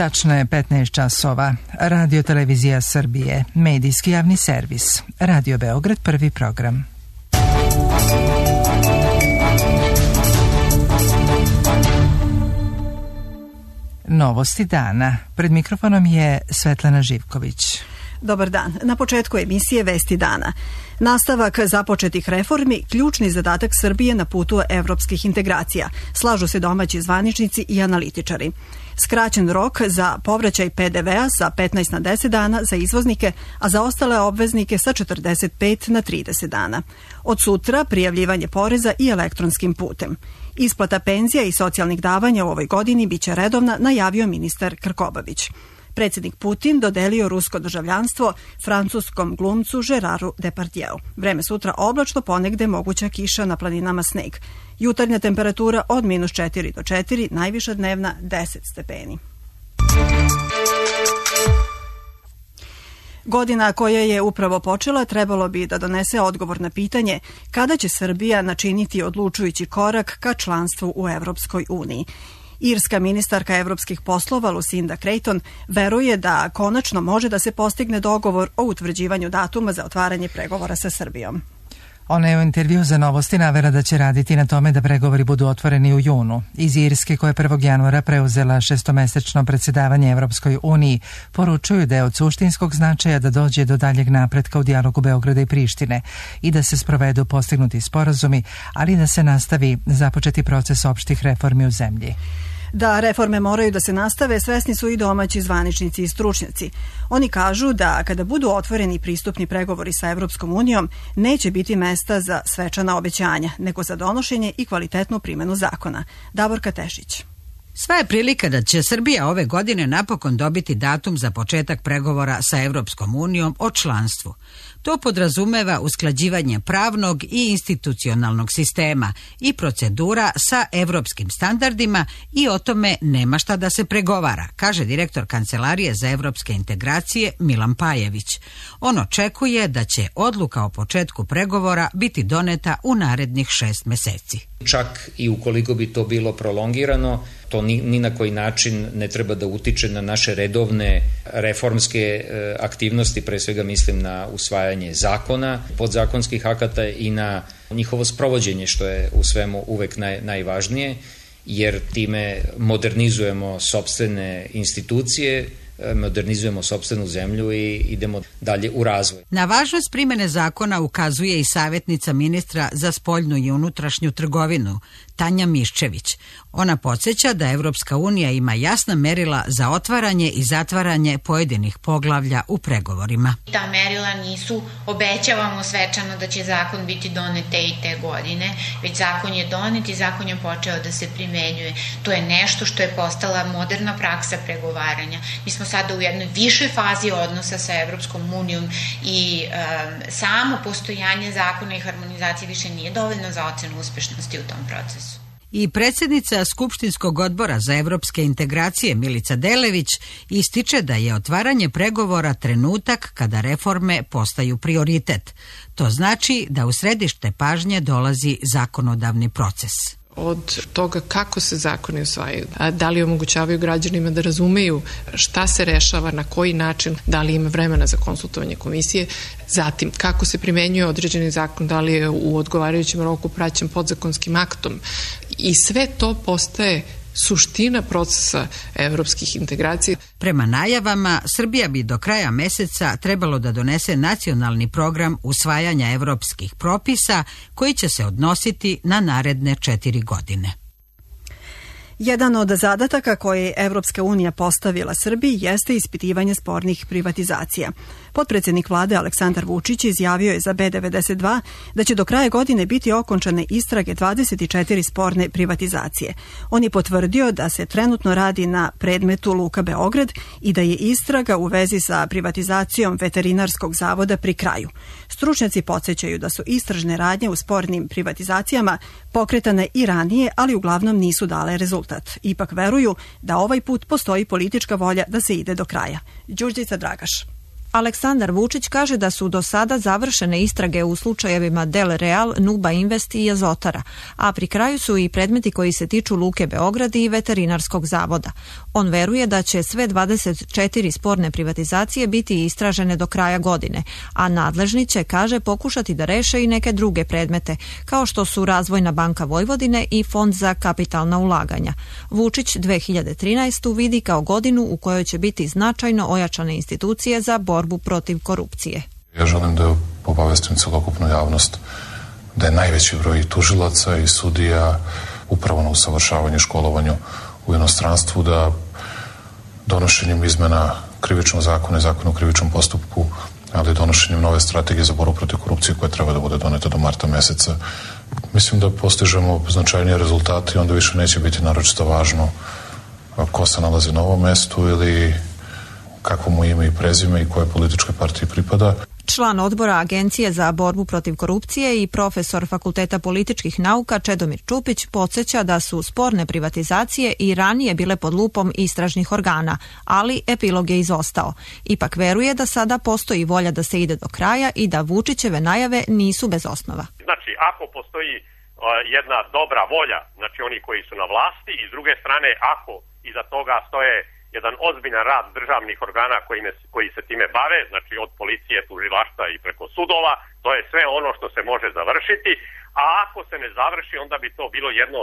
Tačno je 15 časova. Radio Televizija Srbije, medijski javni servis. Radio Beograd, prvi program. Novosti dana. Pred mikrofonom je Svetlana Živković. Dobar dan. Na početku emisije Vesti dana. Nastavak započetih reformi, ključni zadatak Srbije na putu evropskih integracija. Slažu se domaći zvaničnici i analitičari. Skraćen rok za povraćaj PDV-a sa 15 na 10 dana za izvoznike, a za ostale obveznike sa 45 na 30 dana. Od sutra prijavljivanje poreza i elektronskim putem. Isplata penzija i socijalnih davanja u ovoj godini biće redovna, najavio ministar Krkobabić. Predsjednik Putin dodelio rusko državljanstvo francuskom glumcu Geraru Depardieu. Vreme sutra oblačno, ponegde moguća kiša, na planinama sneg. Jutarnja temperatura od -4 do 4, najviša dnevna 10 stepeni. Godina koja je upravo počela trebalo bi da donese odgovor na pitanje kada će Srbija načiniti odlučujući korak ka članstvu u Evropskoj uniji. Irska ministarka evropskih poslova Lucinda Creighton veruje da konačno može da se postigne dogovor o utvrđivanju datuma za otvaranje pregovora sa Srbijom. Ona je u intervju za Novosti navela da će raditi na tome da pregovori budu otvoreni u junu. Iz Irske, koja je 1. januara preuzela šestomesečno predsjedavanje Evropskoj uniji, poručuju da je od suštinskog značaja da dođe do daljeg napretka u dijalogu Beograda i Prištine i da se sprovedu postignuti sporazumi, ali da se nastavi započeti proces opštih reformi u zemlji. Da reforme moraju da se nastave, svesni su i domaći zvaničnici i stručnjaci. Oni kažu da kada budu otvoreni pristupni pregovori sa Evropskom unijom, neće biti mesta za svečana obećanja, nego za donošenje i kvalitetnu primjenu zakona. Davorka Tešić. Sva je prilika da će Srbija ove godine napokon dobiti datum za početak pregovora sa Evropskom unijom o članstvu. To podrazumeva usklađivanje pravnog i institucionalnog sistema i procedura sa evropskim standardima i o tome nema šta da se pregovara, kaže direktor Kancelarije za evropske integracije Milan Pajević. On očekuje da će odluka o početku pregovora biti doneta u narednih 6 meseci. Čak i ukoliko bi to bilo prolongirano, to ni na koji način ne treba da utiče na naše redovne reformske aktivnosti, pre svega mislim na usvajanje zakona, podzakonskih akata i na njihovo sprovođenje, što je u svemu uvek najvažnije, jer time modernizujemo sopstvene institucije, modernizujemo sopstvenu zemlju i idemo dalje u razvoj. Na važnost primjene zakona ukazuje i savjetnica ministra za spoljnu i unutrašnju trgovinu, Tanja Miščević. Ona podsjeća da Evropska unija ima jasna merila za otvaranje i zatvaranje pojedinih poglavlja u pregovorima. Ta merila nisu obećavamo svečano da će zakon biti donet te i te godine, već zakon je donet i zakon je počeo da se primenjuje. To je nešto što je postala moderna praksa pregovaranja. Mi smo sada u jednoj višoj fazi odnosa sa Evropskom unijom i samo postojanje zakona i harmonizacije više nije dovoljno za ocenu uspešnosti u tom procesu. I predsjednica Skupštinskog odbora za evropske integracije Milica Delević ističe da je otvaranje pregovora trenutak kada reforme postaju prioritet. To znači da u središte pažnje dolazi zakonodavni proces. Od toga kako se zakoni usvajaju, da li omogućavaju građanima da razumeju šta se rešava, na koji način, da li ima vremena za konsultovanje komisije, zatim kako se primenjuje određeni zakon, da li je u odgovarajućem roku praćen podzakonskim aktom, i sve to postaje suština procesa evropskih integracija. Prema najavama, Srbija bi do kraja meseca trebalo da donese nacionalni program usvajanja evropskih propisa koji će se odnositi na naredne 4 godine. Jedan od zadataka koje je Evropska unija postavila Srbiji jeste ispitivanje spornih privatizacija. Potpredsjednik vlade Aleksandar Vučić izjavio je za B92 da će do kraja godine biti okončane istrage 24 sporne privatizacije. On je potvrdio da se trenutno radi na predmetu Luka Beograd i da je istraga u vezi sa privatizacijom veterinarskog zavoda pri kraju. Stručnjaci podsjećaju da su istražne radnje u spornim privatizacijama pokretane i ranije, ali uglavnom nisu dale rezultat. Ipak veruju da ovaj put postoji politička volja da se ide do kraja. Đurđica Dragaš. Aleksandar Vučić kaže da su do sada završene istrage u slučajevima Del Real, Nuba Invest i Azotara, a pri kraju su i predmeti koji se tiču Luke Beograd i Veterinarskog zavoda. On veruje da će sve 24 sporne privatizacije biti istražene do kraja godine, a nadležni će, kaže, pokušati da reše i neke druge predmete, kao što su Razvojna banka Vojvodine i Fond za kapitalna ulaganja. Vučić 2013. vidi kao godinu u kojoj će biti značajno ojačane institucije za borbu protiv korupcije. Ja želim da obavestim celokupnu javnost da je najveći broj tužilaca i sudija upravo na usavršavanju i školovanju u inostranstvu, da donošenjem izmena krivičnog zakona i zakona o krivičnom postupku, ali donošenjem nove strategije za borbu protiv korupcije koja treba da bude doneta do marta meseca, mislim da postižemo značajnije rezultate i onda više neće biti naročito važno ko se nalazi na ovom mestu ili kakvo mu ime i prezime i koje političke partije pripada. Član odbora Agencije za borbu protiv korupcije i profesor Fakulteta političkih nauka Čedomir Čupić podsjeća da su sporne privatizacije i ranije bile pod lupom istražnih organa, ali epilog je izostao. Ipak veruje da sada postoji volja da se ide do kraja i da Vučićeve najave nisu bez osnova. Znači, ako postoji jedna dobra volja, znači oni koji su na vlasti, i s druge strane, ako iza toga stoje jedan ozbiljan rad državnih organa koji se time bave, znači od policije, tužilaštva i preko sudova, to je sve ono što se može završiti, a ako se ne završi, onda bi to bilo jedno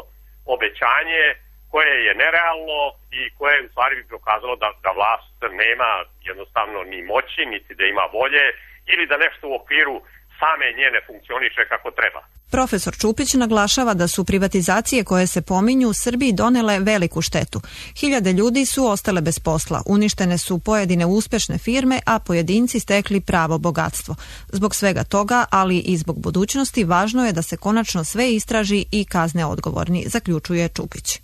obećanje koje je nerealno i koje u stvari bi prokazalo da vlast nema jednostavno ni moći, niti da ima volje, ili da nešto u okviru same njene funkcioniše kako treba. Profesor Čupić naglašava da su privatizacije koje se pominju Srbiji donele veliku štetu. Hiljade ljudi su ostale bez posla, uništene su pojedine uspešne firme, a pojedinci stekli pravo bogatstvo. Zbog svega toga, ali i zbog budućnosti, važno je da se konačno sve istraži i kazne odgovorni, zaključuje Čupić.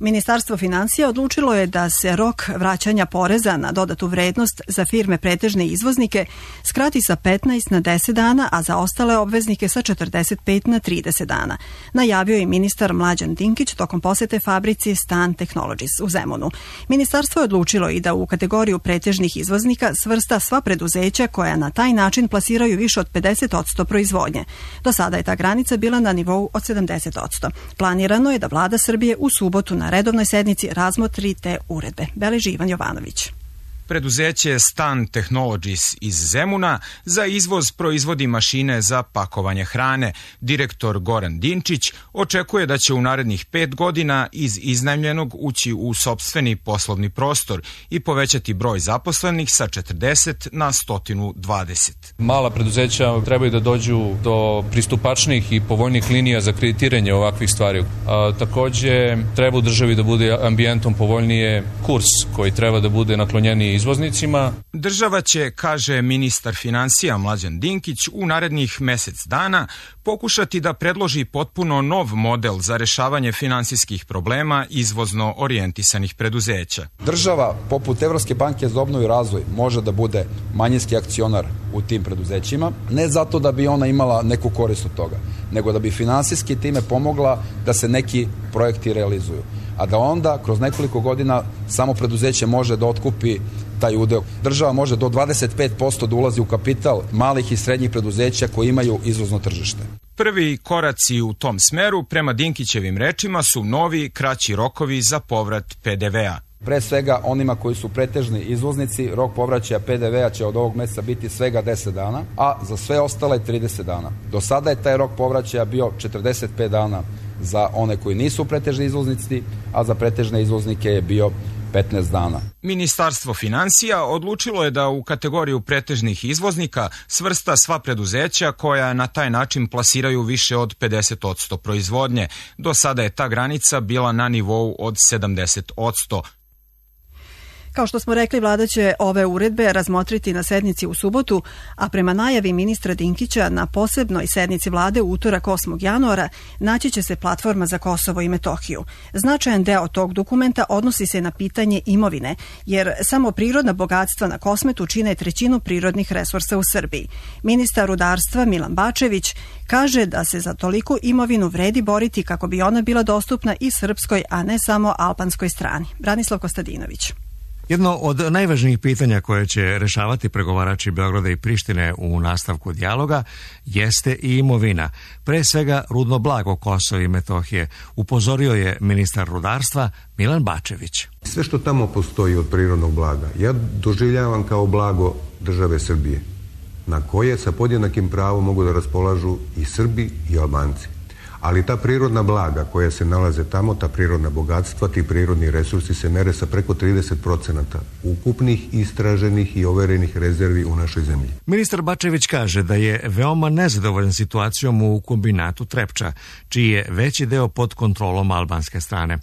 Ministarstvo finansija odlučilo je da se rok vraćanja poreza na dodatu vrednost za firme pretežne izvoznike skrati sa 15 na 10 dana, a za ostale obveznike sa 45 na 30 dana. Najavio je ministar Mlađan Dinkić tokom posete fabrici Stan Technologies u Zemunu. Ministarstvo je odlučilo i da u kategoriju pretežnih izvoznika svrsta sva preduzeća koja na taj način plasiraju više od 50% proizvodnje. Do sada je ta granica bila na nivou od 70%. Planirano je da vlada Srbije u subotu na redovnoj sednici razmotri te uredbe. Beleži Ivan Jovanović. Preduzeće Stan Technologies iz Zemuna za izvoz proizvodi mašine za pakovanje hrane. Direktor Goran Dinčić očekuje da će u narednih 5 godina iz iznajmljenog ući u sopstveni poslovni prostor i povećati broj zaposlenih sa 40 na 120. Mala preduzeća trebaju da dođu do pristupačnih i povoljnih linija za kreditiranje ovakvih stvari. Takođe, treba u državi da bude ambijentom povoljnije kurs koji treba da bude naklonjeniji izvoznicima. Država će, kaže ministar finansija Mlađan Dinkić, u narednih mesec dana pokušati da predloži potpuno nov model za rešavanje finansijskih problema izvozno orijentisanih preduzeća. Država, poput Evropske banke za obnovu i razvoj, može da bude manjinski akcionar u tim preduzećima, ne zato da bi ona imala neku korist od toga, nego da bi finansijski time pomogla da se neki projekti realizuju. A da onda, kroz nekoliko godina, samo preduzeće može da otkupi taj udeo. Država može do 25% da ulazi u kapital malih i srednjih preduzeća koji imaju izvozno tržište. Prvi koraci u tom smeru, prema Dinkićevim rečima, su novi, kraći rokovi za povrat PDV-a. Pre svega, onima koji su pretežni izvoznici, rok povraćaja PDV-a će od ovog meseca biti svega 10 dana, a za sve ostale 30 dana. Do sada je taj rok povraćaja bio 45 dana za one koji nisu pretežni izvoznici, a za pretežne izvoznike je bio 15 dana. Ministarstvo finansija odlučilo je da u kategoriju pretežnih izvoznika svrsta sva preduzeća koja na taj način plasiraju više od 50% proizvodnje. Do sada je ta granica bila na nivou od 70%. Kao što smo rekli, vlada će ove uredbe razmotriti na sednici u subotu, a prema najavi ministra Dinkića na posebnoj sednici vlade u utorak 8. januara naći će se platforma za Kosovo i Metohiju. Značajan deo tog dokumenta odnosi se na pitanje imovine, jer samo prirodna bogatstva na Kosmetu čine 1/3 prirodnih resursa u Srbiji. Ministar rudarstva Milan Bačević kaže da se za toliku imovinu vredi boriti kako bi ona bila dostupna i srpskoj, a ne samo albanskoj strani. Branislav Kostadinović. Jedno od najvažnijih pitanja koje će rešavati pregovarači Beograda i Prištine u nastavku dijaloga jeste i imovina, pre svega rudno blago Kosova i Metohije, upozorio je ministar rudarstva Milan Bačević. Sve što tamo postoji od prirodnog blaga, ja doživljavam kao blago države Srbije, na koje sa podjednakim pravom mogu da raspolažu i Srbi i Albanci. Ali ta prirodna blaga koja se nalaze tamo, ta prirodna bogatstva, ti prirodni resursi se mere sa preko 30% ukupnih istraženih i overenih rezervi u našoj zemlji. Ministar Bačević kaže da je veoma nezadovoljan situacijom u kombinatu Trepča, čiji je veći deo pod kontrolom albanske strane.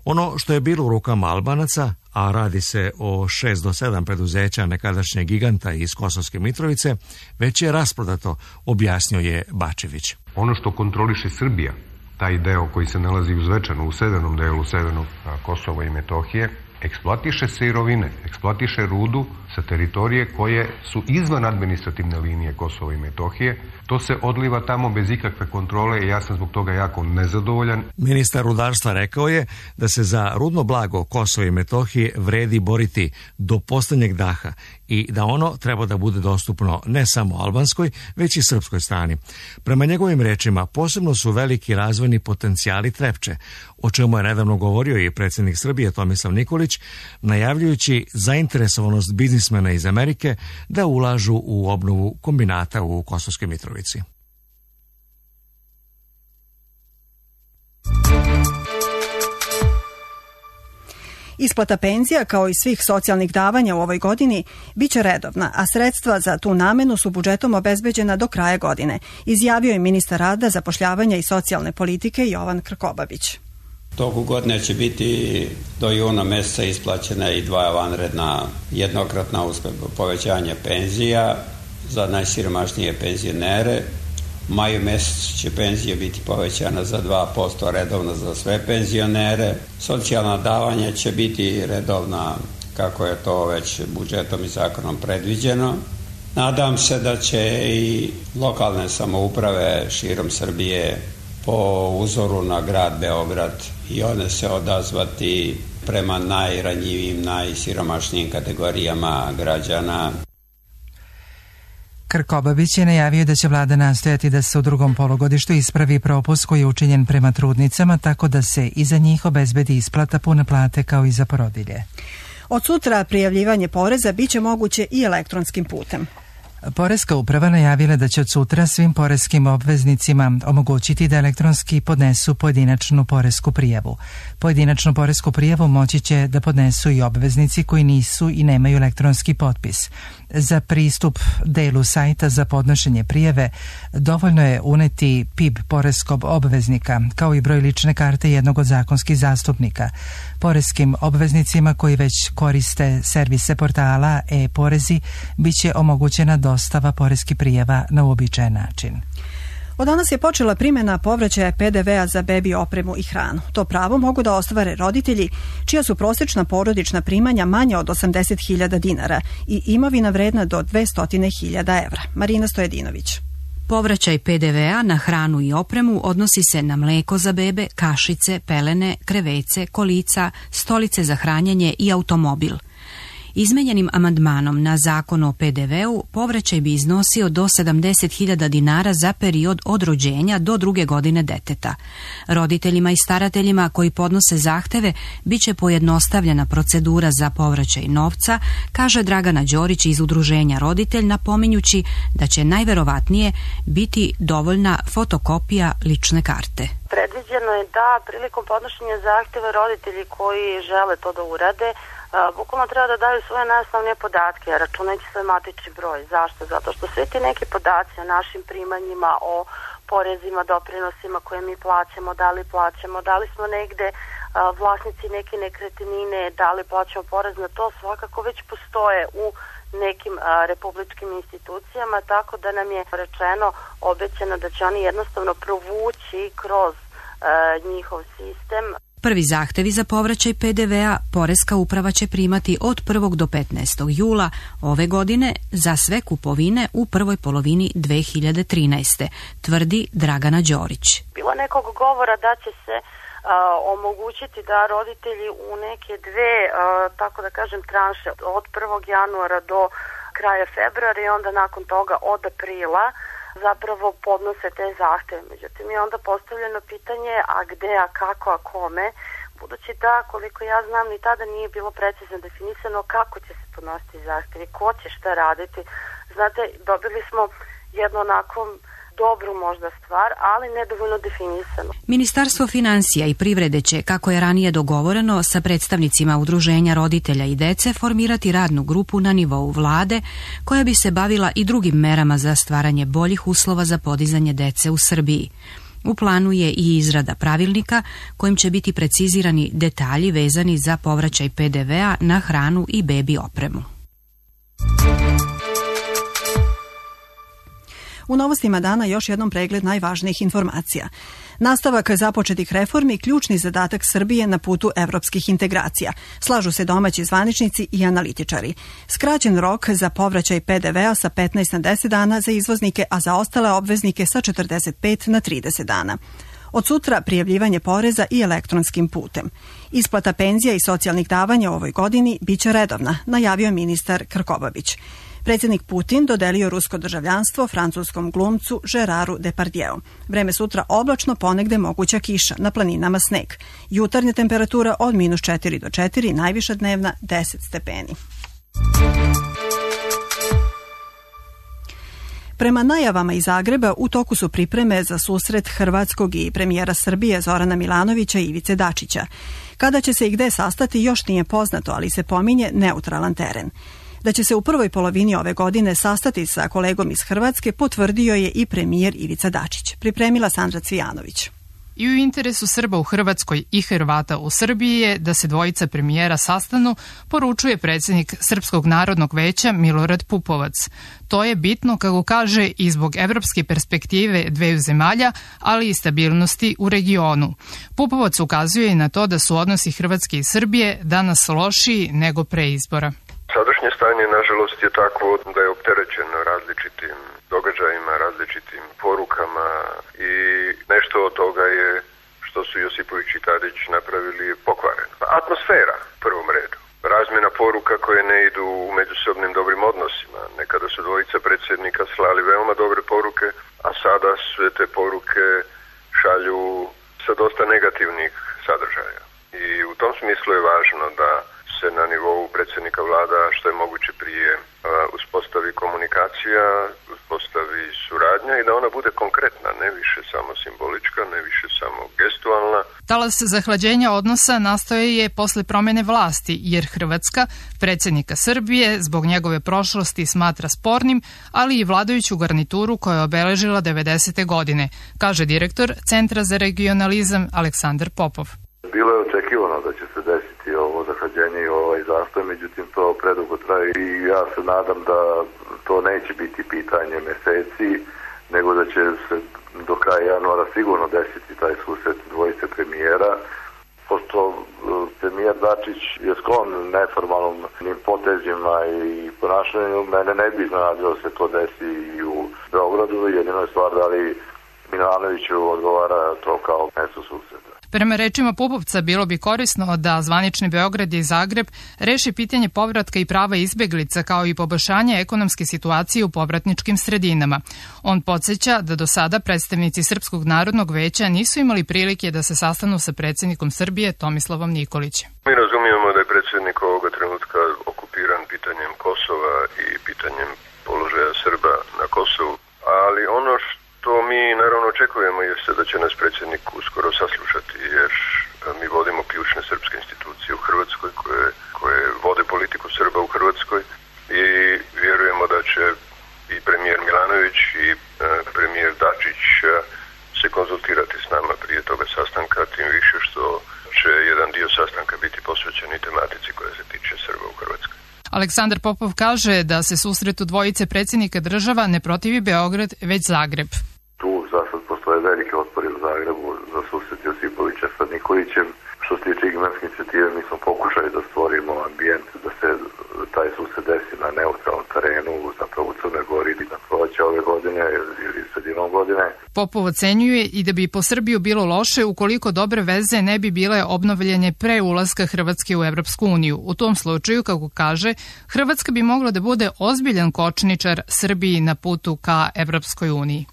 Ono što je bilo u rukama Albanaca, a radi se o 6 do 7 preduzeća nekadašnjeg giganta iz Kosovske Mitrovice, već je rasprodato, objasnio je Bačević. Ono što kontroliše Srbija, taj deo koji se nalazi u Zvečanu, u severnom delu severnog Kosova i Metohije, eksploatiše sirovine, eksploatiše rudu sa teritorije koje su izvan administrativne linije Kosova i Metohije. To se odliva tamo bez ikakve kontrole i ja sam zbog toga jako nezadovoljan. Ministar rudarstva rekao je da se za rudno blago Kosova i Metohije vredi boriti do poslednjeg daha i da ono treba da bude dostupno ne samo albanskoj, već i srpskoj strani. Prema njegovim rečima, posebno su veliki razvojni potencijali Trepče, o čemu je nedavno govorio i predsjednik Srbije Tomislav Nikolić, najavljujući zainteresovanost biznismena iz Amerike da ulažu u obnovu kombinata u Kosovskoj Mitrovici. Isplata penzija, kao i svih socijalnih davanja u ovoj godini, bit će redovna, a sredstva za tu namenu su budžetom obezbeđena do kraja godine, izjavio je ministar rada, zapošljavanja i socijalne politike Jovan Krkobabić. Toku godine će biti do juna meseca isplaćena i 2 vanredna jednokratna povećanja penzija za najsiromašnije penzionere. U maju mesecu će penzija biti povećana za 2% redovno za sve penzionere. Socijalna davanja će biti redovna kako je to već budžetom i zakonom predviđeno. Nadam se da će i lokalne samouprave širom Srbije po uzoru na grad Beograd i one se odazvati prema najranjivijim, najsiromašnijim kategorijama građana. Krkobabić je najavio da će vlada nastojati da se u drugom polugodištu ispravi propust koji je učinjen prema trudnicama, tako da se i za njih obezbedi isplata pune plate kao i za porodilje. Od sutra prijavljivanje poreza biće moguće i elektronskim putem. Poreska uprava najavila da će od sutra svim poreskim obveznicima omogućiti da elektronski podnesu pojedinačnu poresku prijavu. Pojedinačnu poresku prijavu moći će da podnesu i obveznici koji nisu i nemaju elektronski potpis. Za pristup delu sajta za podnošenje prijave dovoljno je uneti PIB poreskog obveznika, kao i broj lične karte jednog od zakonskih zastupnika. Poreskim obveznicima koji već koriste servise portala e-porezi biće omogućena dostava poreskih prijava na uobičajen način. Od danas je počela primjena povraćaja PDV-a za bebi opremu i hranu. To pravo mogu da ostvare roditelji čija su prosječna porodična primanja manja od 80.000 dinara i imovina vredna do 200.000 evra. Marina Stojedinović. Povraćaj PDV-a na hranu i opremu odnosi se na mleko za bebe, kašice, pelene, krevece, kolica, stolice za hranjenje i automobil. Izmenjenim amandmanom na zakon o PDV-u povraćaj bi iznosio do 70.000 dinara za period od rođenja do 2. godine deteta. Roditeljima i starateljima koji podnose zahteve biće pojednostavljena procedura za povraćaj novca, kaže Dragana Đorić iz Udruženja Roditelj, napominjući da će najverovatnije biti dovoljna fotokopija lične karte. Predviđeno je da prilikom podnošenja zahteva roditelji koji žele to da urade bukvalno treba da daju svoje najosnovnije podatke, računajući svoj matični broj. Zašto? Zato što svi ti neki podaci o našim primanjima, o porezima, doprinosima koje mi plaćamo, da li smo negde vlasnici neke nekretnine, da li plaćamo porez na to, svakako već postoje u nekim republičkim institucijama, tako da nam je rečeno, obećano da će oni jednostavno provući kroz njihov sistem. Prvi zahtevi za povraćaj PDV-a Poreska uprava će primati od 1. do 15. jula ove godine za sve kupovine u prvoj polovini 2013. tvrdi Dragana Đorić. Bilo nekog govora da će se omogućiti da roditelji u neke dve, tako da kažem, tranše od 1. januara do kraja februara i onda nakon toga od aprila zapravo podnose te zahteve. Međutim, je onda postavljeno pitanje, a gde, a kako, a kome, budući da, koliko ja znam, ni tada nije bilo precizno definisano kako će se podnositi zahtevi, ko će šta raditi. Znate, dobili smo jedno onako dobru možda stvar, ali nedovoljno definisano. Ministarstvo finansija i privrede će, kako je ranije dogovoreno, sa predstavnicima udruženja roditelja i dece formirati radnu grupu na nivou vlade koja bi se bavila i drugim merama za stvaranje boljih uslova za podizanje dece u Srbiji. U planu je i izrada pravilnika kojim će biti precizirani detalji vezani za povraćaj PDV-a na hranu i bebi opremu. U novostima dana još jednom pregled najvažnijih informacija. Nastavak započetih reformi ključni zadatak Srbije na putu evropskih integracija. Slažu se domaći zvaničnici i analitičari. Skraćen rok za povraćaj PDV-a sa 15 na 10 dana za izvoznike, a za ostale obveznike sa 45 na 30 dana. Od sutra prijavljivanje poreza i elektronskim putem. Isplata penzija i socijalnih davanja u ovoj godini biće redovna, najavio ministar Krkobabić. Predsjednik Putin dodelio rusko državljanstvo francuskom glumcu Geraru Depardieu. Vreme sutra oblačno, ponegde moguća kiša, na planinama sneg. Jutarnja temperatura od -4 do 4, najviša dnevna 10 stepeni. Prema najavama iz Zagreba, u toku su pripreme za susret hrvatskog i premijera Srbije Zorana Milanovića i Ivice Dačića. Kada će se i gde sastati još nije poznato, ali se pominje neutralan teren. Da će se u prvoj polovini ove godine sastati sa kolegom iz Hrvatske potvrdio je i premijer Ivica Dačić. Pripremila Sandra Cvijanović. I u interesu Srba u Hrvatskoj i Hrvata u Srbiji je da se dvojica premijera sastanu, poručuje predsjednik Srpskog narodnog veća Milorad Pupovac. To je bitno, kako kaže, i zbog evropske perspektive dveju zemalja, ali i stabilnosti u regionu. Pupovac ukazuje i na to da su odnosi Hrvatske i Srbije danas lošiji nego pre izbora. Sadašnje stanje, nažalost, je takvo da je opterećeno različitim događajima, različitim porukama i nešto od toga je što su Josipović i Tadić napravili pokvareno. Atmosfera, u prvom redu. Razmjena poruka koje ne idu u međusobnim dobrim odnosima. Nekada su dvojica predsjednika slali veoma dobre poruke, a sada sve te poruke šalju sa dosta negativnih sadržaja. I u tom smislu je važno da se na nivou predsjednika vlada što je moguće prije uspostavi komunikacija, uspostavi suradnja i da ona bude konkretna, ne više samo simbolička, ne više samo gestualna. Talas zahlađenja odnosa nastoje je posle promene vlasti, jer Hrvatska predsjednika Srbije zbog njegove prošlosti smatra spornim, ali i vladajuću garnituru koja je obeležila 90. godine, kaže direktor Centra za regionalizam Aleksandar Popov. Bilo je očekivano da će se desiti ovo zahlađenje i ovaj zastoj, međutim to predugo traje i ja se nadam da to neće biti pitanje meseci, nego da će se do kraja januara sigurno desiti taj susret dvojice premijera. Pošto premijer Dačić je sklon neformalnom potezima i ponašanju, mene ne bi iznenadilo da se to desi i u Beogradu. Jedino je stvar da li Milanoviću odgovara to kao mesto susreta. Prema rečima Pupovca, bilo bi korisno da zvanični Beograd i Zagreb reši pitanje povratka i prava izbeglica kao i poboljšanje ekonomske situacije u povratničkim sredinama. On podsjeća da do sada predstavnici Srpskog narodnog veća nisu imali prilike da se sastanu sa predsjednikom Srbije Tomislavom Nikolićem. Mi razumijemo da je predsjednik ovoga trenutka okupiran pitanjem Kosova i pitanjem položaja Srba na Kosovu, ali ono što mi naravno očekujemo jeste da će nas predsjednik uskoro saslušati, jer mi vodimo ključne srpske institucije u Hrvatskoj koje vode politiku Srba u Hrvatskoj i vjerujemo da će i premijer Milanović i premijer Dačić se konzultirati s nama prije toga sastanka, tim više što će jedan dio sastanka biti posvećen i tematici koja se tiče Srba u Hrvatskoj. Aleksandar Popov kaže da se susretu dvojice predsjednika država ne protivi Beograd, već Zagreb. Tu za sad postoje velike otpori u Zagrebu za susret Josipovića sa Nikolićem, Što se tiče Igmanske inicijative, mi smo pokušali da stvorimo ambijent da se taj susret desi na neutralnom terenu, zapravo u Crnoj Gori ili na proleće ove godine ili sredinom godine. Popov ocenjuje i da bi po Srbiju bilo loše ukoliko dobre veze ne bi bile obnovljene pre ulaska Hrvatske u Evropsku uniju. U tom slučaju, kako kaže, Hrvatska bi mogla da bude ozbiljan kočničar Srbiji na putu ka Evropskoj uniji.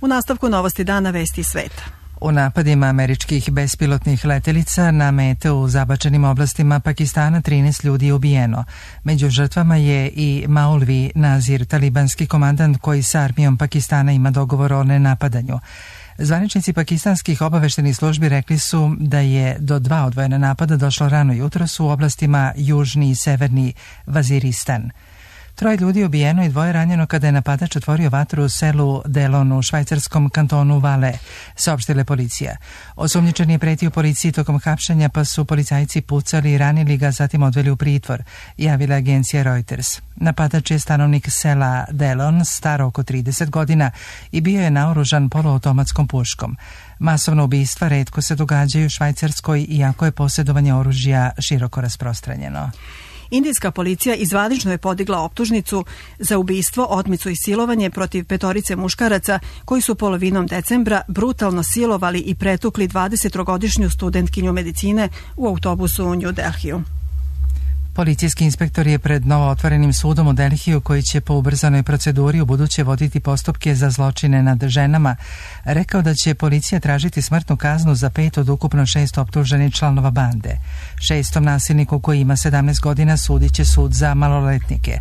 U nastavku novosti dana vesti sveta. U napadima američkih bespilotnih letelica na mete u zabačenim oblastima Pakistana 13 ljudi je ubijeno. Među žrtvama je i Maulvi Nazir, talibanski komandant koji sa armijom Pakistana ima dogovor o nenapadanju. Zvaničnici pakistanskih obaveštenih službi rekli su da je do 2 odvojena napada došlo rano jutros u oblastima Južni i Severni Vaziristan. 3 ljudi je ubijeno i 2 ranjeno kada je napadač otvorio vatru u selu Delon u švajcarskom kantonu Vale, saopštila policija. Osumnjičeni je pretio policiji tokom hapšenja, pa su policajci pucali i ranili ga, zatim odveli u pritvor, javila agencija Reuters. Napadač je stanovnik sela Delon, star oko 30 godina i bio je naoružan poluautomatskom puškom. Masovna ubistva retko se događaju u Švajcarskoj, iako je posjedovanje oružja široko rasprostranjeno. Indijska policija zvanično je podigla optužnicu za ubistvo, otmicu i silovanje protiv 5 muškaraca koji su polovinom decembra brutalno silovali i pretukli 23-godišnju studentkinju medicine u autobusu u New Delhiju. Policijski inspektor je pred novootvorenim sudom u Delhiju, koji će po ubrzanoj proceduri u buduće voditi postupke za zločine nad ženama, rekao da će policija tražiti smrtnu kaznu za 5 od ukupno 6 optuženih članova bande. 6. nasilniku koji ima 17 godina sudit će sud za maloletnike.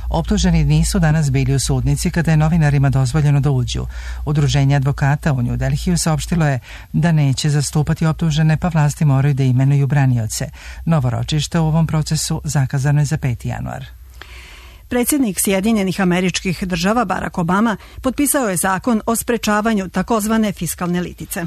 Optuženi nisu danas bili u sudnici kada je novinarima dozvoljeno da uđu. Udruženje advokata u New Delhiju saopštilo je da neće zastupati optužene, pa vlasti moraju da imenuju branioce. Novo ročište u ovom procesu zakazano je za 5. januar. Predsjednik Sjedinjenih Američkih Država Barack Obama potpisao je zakon o sprečavanju takozvane fiskalne litice.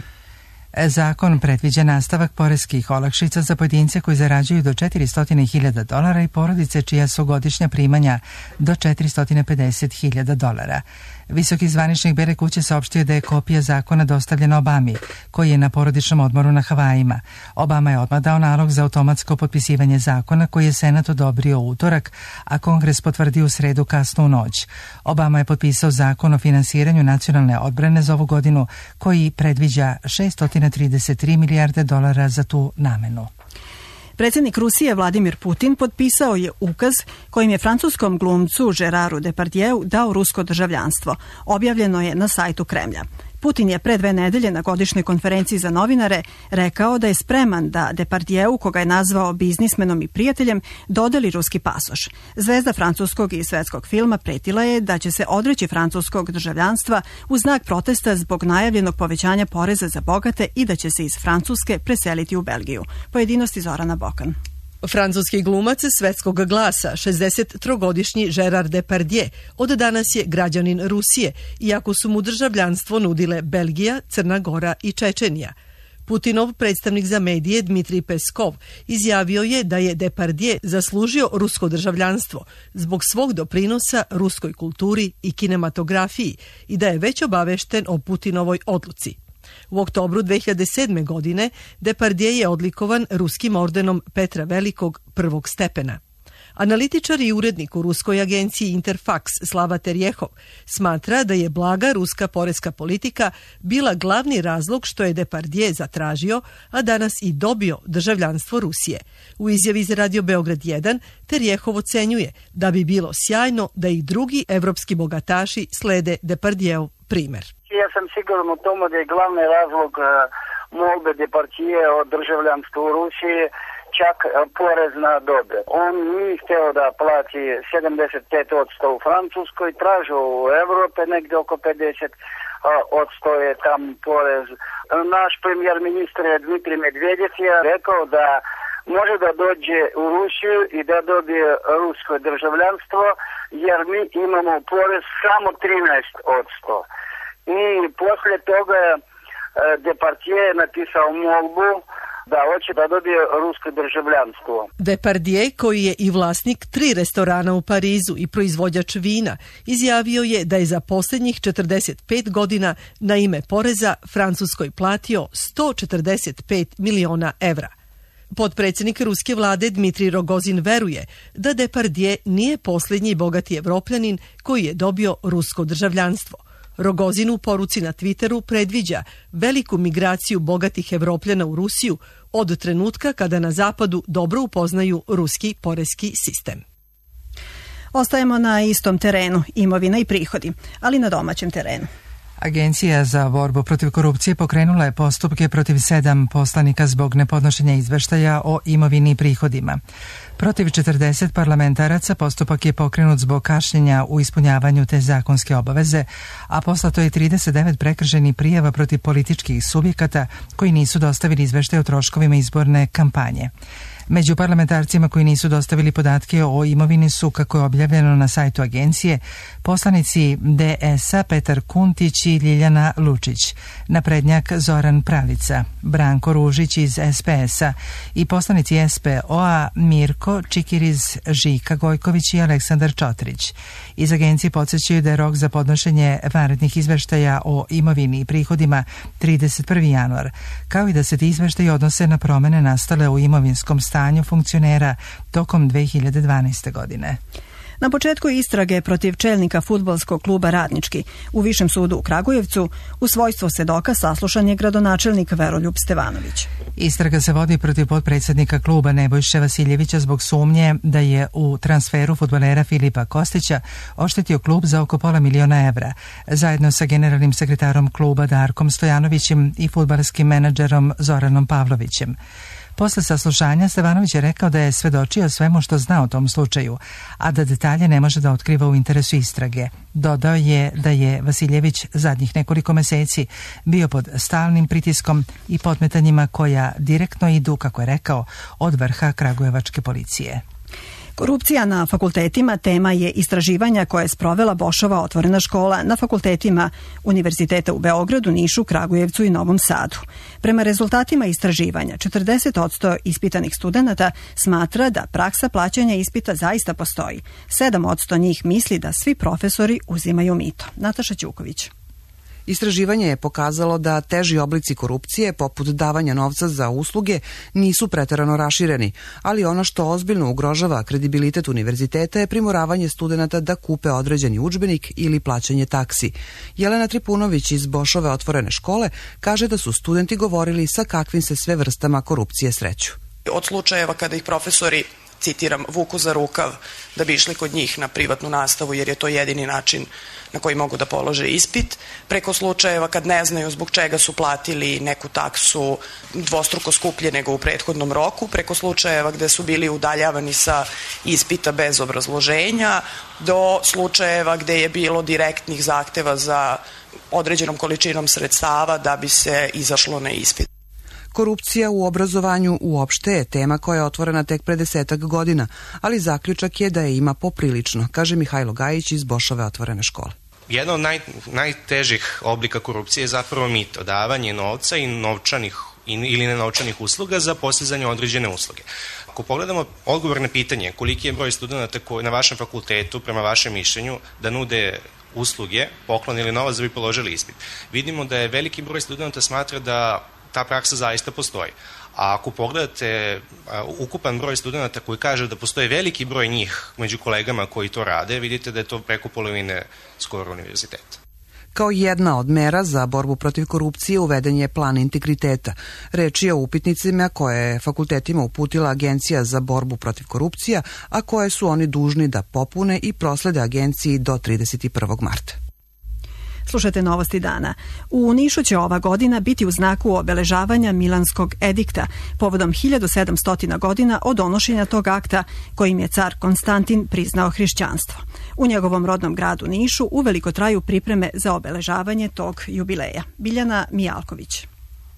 Zakon predviđa nastavak poreskih olakšica za pojedince koji zarađuju do $400.000 i porodice čija su godišnja primanja do $450.000. Visoki zvaničnik Bele kuće saopštio da je kopija zakona dostavljena Obami, koji je na porodičnom odmoru na Havajima. Obama je odmah dao nalog za automatsko potpisivanje zakona, koji je Senat odobrio u utorak, a Kongres potvrdio u sredu kasno u noć. Obama je potpisao zakon o finansiranju nacionalne odbrane za ovu godinu, koji predviđa $633 milijarde za tu namenu. Predsjednik Rusije Vladimir Putin potpisao je ukaz kojim je francuskom glumcu Geraru Depardieu dao rusko državljanstvo. Objavljeno je na sajtu Kremlja. Putin je pre 2 nedelje na godišnjoj konferenciji za novinare rekao da je spreman da Depardieu, koga je nazvao biznismenom i prijateljem, dodeli ruski pasoš. Zvezda francuskog i svetskog filma pretila je da će se odreći francuskog državljanstva u znak protesta zbog najavljenog povećanja poreza za bogate i da će se iz Francuske preseliti u Belgiju. Pojedinosti Zorana Bokan. Francuski glumac svetskog glasa, 63-godišnji Gerard Depardieu, od danas je građanin Rusije, iako su mu državljanstvo nudile Belgija, Crna Gora i Čečenija. Putinov predstavnik za medije Dmitrij Peskov izjavio je da je Depardieu zaslužio rusko državljanstvo zbog svog doprinosa ruskoj kulturi i kinematografiji i da je već obavešten o Putinovoj odluci. U oktobru 2007. godine Depardieu je odlikovan ruskim ordenom Petra Velikog prvog stepena. Analitičar i urednik u ruskoj agenciji Interfax Slava Terjehov smatra da je blaga ruska poreska politika bila glavni razlog što je Depardieu zatražio, a danas i dobio državljanstvo Rusije. U izjavi za Radio Beograd 1 Terjehov ocenjuje da bi bilo sjajno da i drugi evropski bogataši slede Depardieu primer. Ja sam siguran u tomu da je glavni razlog molbe Depardieu o državljanstvu u Rusiji čak porez na dobit. On nije htio da plati 75% u Francuskoj, tražio u Evrope negdje oko 50% je tam porez. Naš premijer ministar Dmitrij Medvedev je rekao da može da dođe u Rusiju i da dobije rusko državljanstvo, jer mi imamo porez samo 13%. I poslije toga Depardieu je napisao molbu Da, hoće da dobije rusko državljanstvo. Depardieu, koji je i vlasnik 3 restorana u Parizu i proizvođač vina, izjavio je da je za posljednjih 45 godina na ime poreza Francuskoj platio 145 miliona evra. Potpredsjednik ruske vlade Dmitrij Rogozin veruje da Depardieu nije posljednji bogati Evropljanin koji je dobio rusko državljanstvo. Rogozin u poruci na Twitteru predviđa veliku migraciju bogatih Evropljana u Rusiju od trenutka kada na zapadu dobro upoznaju ruski poreski sistem. Ostajemo na istom terenu, imovina i prihodi, ali na domaćem terenu. Agencija za borbu protiv korupcije pokrenula je postupke protiv 7 poslanika zbog nepodnošenja izveštaja o imovini i prihodima. Protiv 40 parlamentaraca postupak je pokrenut zbog kašnjenja u ispunjavanju te zakonske obaveze, a poslato je 39 prekršajnih prijava protiv političkih subjekata koji nisu dostavili izveštaj o troškovima izborne kampanje. Među parlamentarcima koji nisu dostavili podatke o imovini su, kako je objavljeno na sajtu agencije, poslanici DS-a Petar Kuntić i Ljiljana Lučić, naprednjak Zoran Pralica, Branko Ružić iz SPS-a i poslanici SPO-a Mirko Čikiriz, Žika Gojković i Aleksandar Čotrić. Iz agencije podsjećaju da je rok za podnošenje vanrednih izveštaja o imovini i prihodima 31. januar, kao i da se ti izveštaji odnose na promene nastale u imovinskom stanju funkcionera tokom 2012. godine. Na početku istrage protiv čelnika fudbalskog kluba Radnički u Višem sudu u Kragujevcu u svojstvo svedoka saslušan je gradonačelnik Veroljub Stevanović. Istraga se vodi protiv potpredsjednika kluba Nebojše Vasiljevića zbog sumnje da je u transferu fudbalera Filipa Kostića oštetio klub za oko $500.000 evra, zajedno sa generalnim sekretarom kluba Darkom Stojanovićem i fudbalskim menadžerom Zoranom Pavlovićem. Posle saslušanja Stevanović je rekao da je svedočio svemu što zna o tom slučaju, a da detalje ne može da otkriva u interesu istrage. Dodao je da je Vasiljević zadnjih nekoliko meseci bio pod stalnim pritiskom i podmetanjima koja direktno idu, kako je rekao, od vrha kragujevačke policije. Korupcija na fakultetima tema je istraživanja koje je sprovela Bošova otvorena škola na fakultetima Univerziteta u Beogradu, Nišu, Kragujevcu i Novom Sadu. Prema rezultatima istraživanja, 40% ispitanih studenata smatra da praksa plaćanja ispita zaista postoji. 7% njih misli da svi profesori uzimaju mito. Nataša Ćuković. Istraživanje je pokazalo da teži oblici korupcije, poput davanja novca za usluge, nisu preterano rašireni, ali ono što ozbiljno ugrožava kredibilitet univerziteta je primoravanje studenata da kupe određeni udžbenik ili plaćanje taksi. Jelena Tripunović iz Bošove otvorene škole kaže da su studenti govorili sa kakvim se sve vrstama korupcije sreću. Od slučajeva kada ih profesori, citiram, vuku za rukav da bi išli kod njih na privatnu nastavu jer je to jedini način na koji mogu da polože ispit, preko slučajeva kad ne znaju zbog čega su platili neku taksu dvostruko skuplje nego u prethodnom roku, preko slučajeva gde su bili udaljavani sa ispita bez obrazloženja, do slučajeva gde je bilo direktnih zahteva za određenom količinom sredstava da bi se izašlo na ispit. Korupcija u obrazovanju uopšte je tema koja je otvorena tek pre 10 godina, ali zaključak je da je ima poprilično, kaže Mihajlo Gajić iz Bošove otvorene škole. Jedna od najtežih oblika korupcije je zapravo mito, davanje novca i novčanih ili nenovčanih usluga za postizanje određene usluge. Ako pogledamo odgovor na pitanje koliki je broj studenta koji na vašem fakultetu, prema vašem mišljenju, da nude usluge, poklon ili novac da bi položili ispit, vidimo da je veliki broj studenta smatra da ta praksa zaista postoji. A ako pogledate ukupan broj studenta koji kaže da postoji veliki broj njih među kolegama koji to rade, vidite da je to preko polovine skoro univerziteta. Kao jedna od mera za borbu protiv korupcije uveden je plan integriteta. Reč je o upitnicima koje je fakultetima uputila Agencija za borbu protiv korupcija, a koje su oni dužni da popune i proslede agenciji do 31. marta. Slušajte novosti dana. U Nišu će ova godina biti u znaku obeležavanja Milanskog edikta, povodom 1700 godina od donošenja tog akta kojim je car Konstantin priznao hrišćanstvo. U njegovom rodnom gradu Nišu uveliko traju pripreme za obeležavanje tog jubileja. Biljana Mijalković.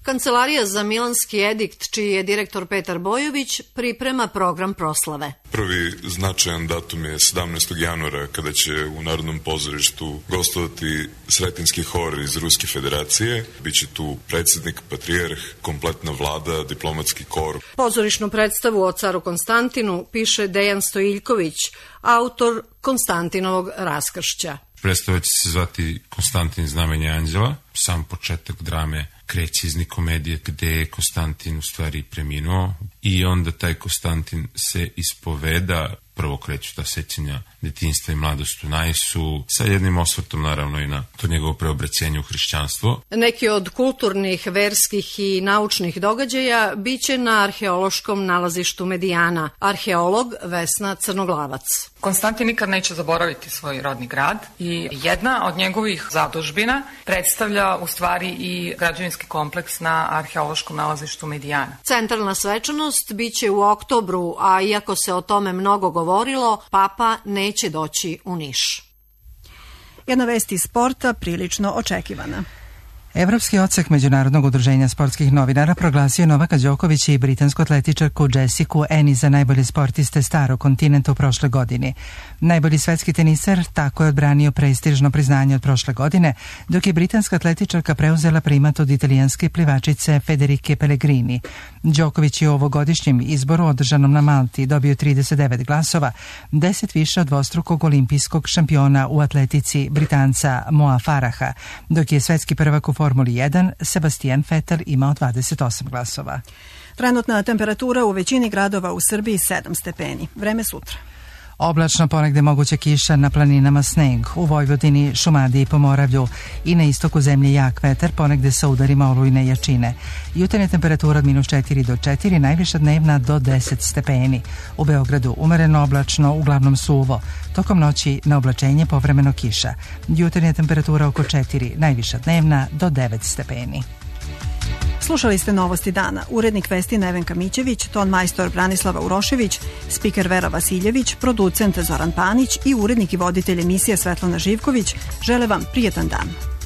Kancelarija za Milanski edikt, čiji je direktor Petar Bojović, priprema program proslave. Prvi značajan datum je 17. januara, kada će u Narodnom pozorištu gostovati Sretinski hor iz Ruske federacije. Biće tu predsjednik, patrijarh, kompletna vlada, diplomatski kor. Pozorišnu predstavu o caru Konstantinu piše Dejan Stojiljković, autor Konstantinovog raskršća. Predstava će se zvati Konstantin znamenje anđela. Sam početak drame kreće iz Nikomedije, gde je Konstantin u stvari preminuo i onda taj Konstantin se ispoveda. Prvo kreću ta sećanja detinjstva i mladost u Najsu, sa jednim osvrtom naravno i na to njegovo preobraćenje u hrišćanstvo. Neki od kulturnih, verskih i naučnih događaja biće na arheološkom nalazištu Medijana. Arheolog Vesna Crnoglavac. Konstantin nikad neće zaboraviti svoj rodni grad i jedna od njegovih zadužbina predstavlja u stvari i građevinski kompleks na arheološkom nalazištu Medijana. Centralna svečanost biće u oktobru, a iako se o tome mnogo govorilo, Papa neće doći u Niš. Jedna vest iz sporta prilično očekivana. Evropski odsek Međunarodnog udruženja sportskih novinara proglasio Novaka Đokovića i britansku atletičarku Jessicu Ennis za najbolje sportiste starog kontinenta u prošle godini. Najbolji svetski teniser tako je odbranio prestižno priznanje od prošle godine, dok je britanska atletičarka preuzela primat od italijanske plivačice Federike Pellegrini. Đoković je u ovogodišnjem izboru održanom na Malti dobio 39 glasova, 10 više od dvostrukog olimpijskog šampiona u atletici Britanca Moa Faraha, dok je svetski prvak u Formuli 1 Sebastian Vettel imao 28 glasova. Trenutna temperatura u većini gradova u Srbiji 7 stepeni. Vreme sutra. Oblačno, ponegde moguća kiša, na planinama sneg, u Vojvodini, Šumadiji i Pomoravlju i na istoku zemlje jak vetar, ponegde sa udarima olujne jačine. Jutarnja temperatura od -4 do 4, najviša dnevna do 10 stepeni. U Beogradu umereno oblačno, uglavnom suvo. Tokom noći na oblačenje povremeno kiša. Jutarnja temperatura oko 4, najviša dnevna do 9 stepeni. Slušali ste Novosti dana. Urednik vesti Nevenka Mićević, ton majstor Branislava Urošević, spiker Vera Vasiljević, producent Zoran Panić i urednik i voditelj emisije Svetlana Živković žele vam prijetan dan.